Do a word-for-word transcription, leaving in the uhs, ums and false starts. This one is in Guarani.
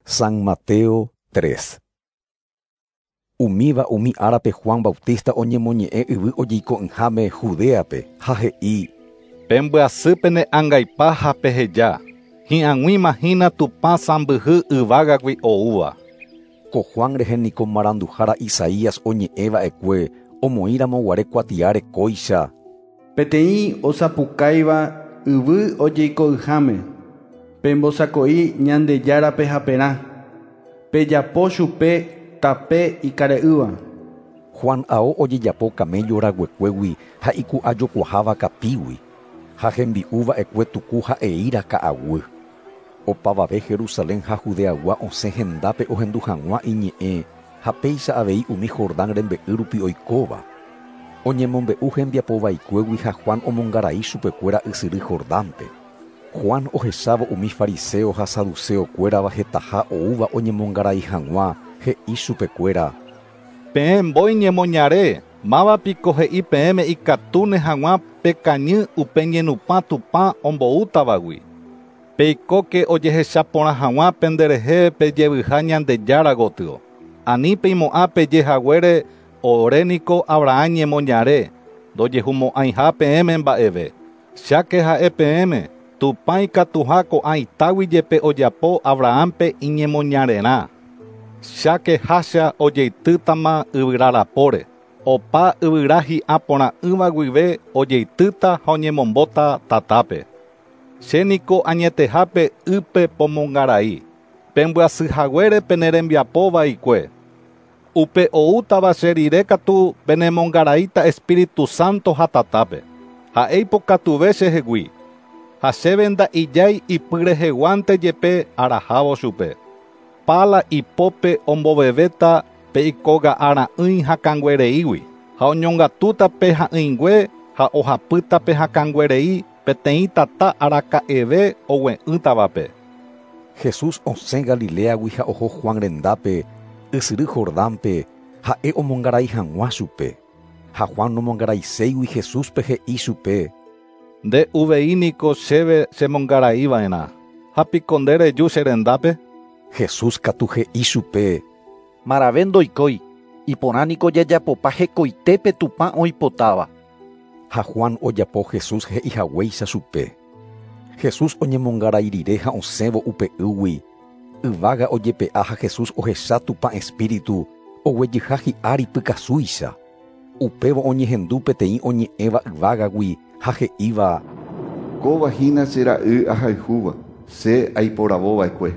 San Mateo tres. Umíva umi árape Juan Bautista oñemoñe'ẽ yvy ojeiko'ỹháme Judeape ha he'i: Pembyasýpe ne angaipa ha peheja, hi'ag̃uíma hína Tupã sãmbyhy yvágagui oúva. Ko Juan rehe niko maranduhára Isaías oñe'ẽva'ekue omoĩramoguare kuatiáre kóicha: Peteĩ osapukáiva yvy ojeiko'ỹháme, pembosako'i Ñandejárape haperã, pejapo chupe tape ikare'ỹva. Juan ao ojejapo camello raguekuégui ha iku'ajokuaháva kapígui, ha hembi'uva'ekue tuku ha eíra ka'aguy. Opavave Jerusalén ha Judeagua osẽ hendápe ohendu hag̃ua iñe'ẽ ha péicha avei umi Jordán rembe'y rupi oikóva. Oñemombe'u hembiapovaikuégui ha Juan omongarai chupekuéra ysyry Jordánpe. Juan ohechávo umi fariseo ha saduceokuérava hetaha oúva oñemongarai hag̃ua he'i chupekuéra: Peẽ mbói ñemoñare, mávapiko he'i peẽme ikatúne hag̃ua pekañy upe ñenupã Tupã omboútavagui. Peikóke ojehechaporã hag̃ua penderehe pejevyha Ñandejára gotyo. Ani peimo'ã pejehaguére oréniko Abraham ñemoñare, ndojehumo'ãiha peẽme mba'eve. Cháke ha'e peẽme, Tupã ikatuha ko'ã itágui jepe ojapo Abrahampe iñemoñarerã. Cháke hácha ojeitýtama yvyra rapóre. Opa yvyra hi'a porã'ỹva guive ojeitýta ha oñemombóta tatápe. Che niko añetehápe ýpe pomongarai, pembyasyhaguére pene rembiapo vaikue. Upe oútava che rire katu penemongaraíta Espíritu Santo ha tatápe. Ha'e ipokatuve chehegui, ha chéve nda'ijái ipyreheguánte jepe arahávo chupe. Pála ipópe ombovevéta pe ikoga'ara'ỹi hakãnguereígui, ha oñongatúta pe ha'ỹingue ha ohapýta pe hakãnguerei peteĩ tata araka'eve ogue'ỹtavape. Jesús osẽ Galileagui ha oho Juan rendápe, ysyry Jordánpe, ha'e omongarai hag̃ua chupe. Ha Juan nomongaraiséigui Jesúspe he'i chupe: Nde uvei niko chéve chemongaraiva'erã, ha piko nde reju che rendápe? Jesús katu he'i chupe: Marave ndoikói, iporã niko jajapopa hekoitépe Tupã oipotáva. Ha Juan ojapo Jesús he'ihaguéicha chupe. Jesús oñemongarai rire ha osẽvo upe ýgui, yvága ojepe'a ha Jesús ohecha Tupã Espíritu oguejyha hi'ári pykasúicha. Upévo oñehendu peteĩ oñe'ẽva yvágagui ha he'íva: Kóva hína che ra'y ahayhúva, che aiporavova'ekue.